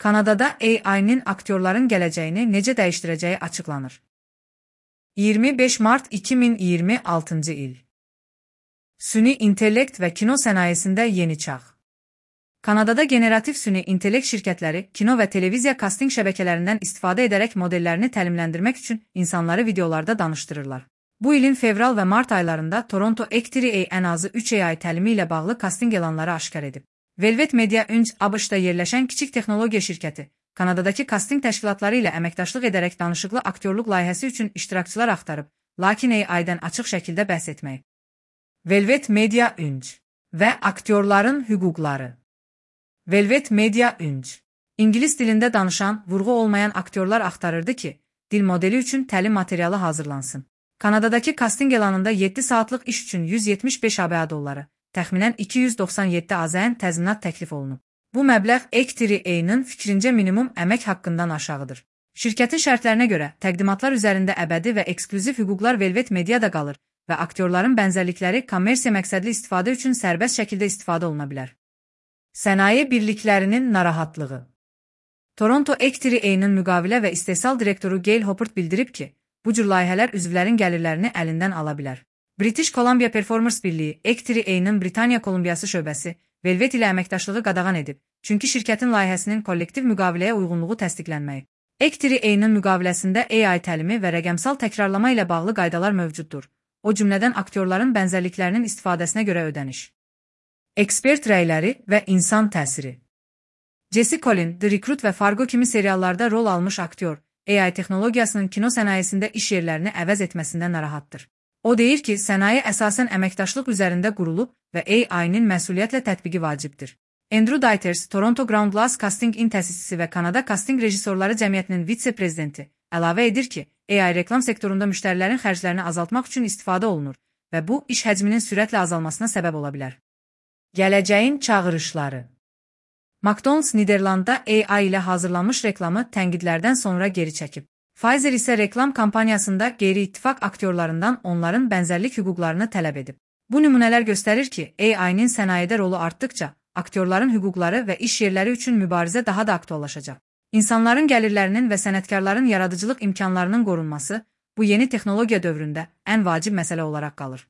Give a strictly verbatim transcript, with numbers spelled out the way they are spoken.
Kanadada A I-nin aktyorların gələcəyini necə dəyişdirəcəyi açıqlanır. iyirmi beş mart iki min iyirmi altıncı il. Süni intellekt və kino sənayesində yeni çağ. Kanadada generativ süni intellekt şirkətləri kino və televiziya kasting şəbəkələrindən istifadə edərək modellərini təlimləndirmək üçün insanları videolarda danışdırırlar. Bu ilin fevral və mart aylarında Toronto X üç A ən azı üç A I təlimi ilə bağlı kasting elanları aşkar edib. Velvet Media Inc A B Ş-da yerləşən kiçik texnologiya şirkəti, Kanadadakı kasting təşkilatları ilə əməkdaşlıq edərək danışıqlı aktyorluq layihəsi üçün iştirakçılar axtarıb, lakin A I-dən açıq şəkildə bəhs etməyib. Velvet Media Inc və aktyorların hüquqları. Velvet Media Inc İngilis dilində danışan, vurğu olmayan aktyorlar axtarırdı ki, dil modeli üçün təlim materialı hazırlansın. Kanadadakı kasting elanında yeddi saatlıq iş üçün yüz yetmiş beş ABŞ dolları, təxminən iki yüz doxsan yeddi AZN təzminat təklif olunub. Bu məbləğ X üç A-nın fikrincə minimum əmək haqqından aşağıdır. Şirkətin şərtlərinə görə təqdimatlar üzərində əbədi və eksklüziv hüquqlar Velvet Mediada qalır və aktyorların bənzərlikləri kommersiya məqsədli istifadə üçün sərbəst şəkildə istifadə oluna bilər. Sənaye birliklərinin narahatlığı. Toronto X üç A-nın müqavilə və istehsal direktoru Gail Hoppert bildirib ki, bu cür layihələr üzvlərin gəlirlərini əlindən ala bilər. British Columbia Performers Birliyi X üç A-nın Britaniya Kolumbiyası şöbəsi Velvet ilə əməkdaşlığı qadağan edib, çünki şirkətin layihəsinin kollektiv müqaviləyə uyğunluğu təsdiqlənməyib. X üç A-nın müqaviləsində A I təlimi və rəqəmsal təkrarlama ilə bağlı qaydalar mövcuddur. O cümlədən aktyorların bənzərliklərinin istifadəsinə görə ödəniş. Ekspert rəyləri və insan təsiri. Jesse Collin, The Recruit və Fargo kimi seriallarda rol almış aktyor, A I texnologiyasının kino sənayesində iş yerlərini əvəz etməsindən narahatdır. O deyir ki, sənaye əsasən əməkdaşlıq üzərində qurulub və A I-nin məsuliyyətlə tətbiqi vacibdir. Andrew Dieters, Toronto Ground Glass Casting-in təsisçisi və Kanada Casting Rejissorları Cəmiyyətinin vitse-prezidenti, əlavə edir ki, A I reklam sektorunda müştərilərin xərclərini azaltmaq üçün istifadə olunur və bu, iş həcminin sürətlə azalmasına səbəb ola bilər. Gələcəyin çağırışları. McDonald's Niderlandda A I ilə hazırlanmış reklamı tənqidlərdən sonra geri çəkib. Pfizer isə reklam kampaniyasında qeyri-ittifaq aktyorlarından onların bənzərlik hüquqlarını tələb edib. Bu nümunələr göstərir ki, A I-nin sənayedə rolu artdıqca, aktyorların hüquqları və iş yerləri üçün mübarizə daha da aktuallaşacaq. İnsanların gəlirlərinin və sənətkarların yaradıcılıq imkanlarının qorunması, bu yeni texnologiya dövründə ən vacib məsələ olaraq qalır.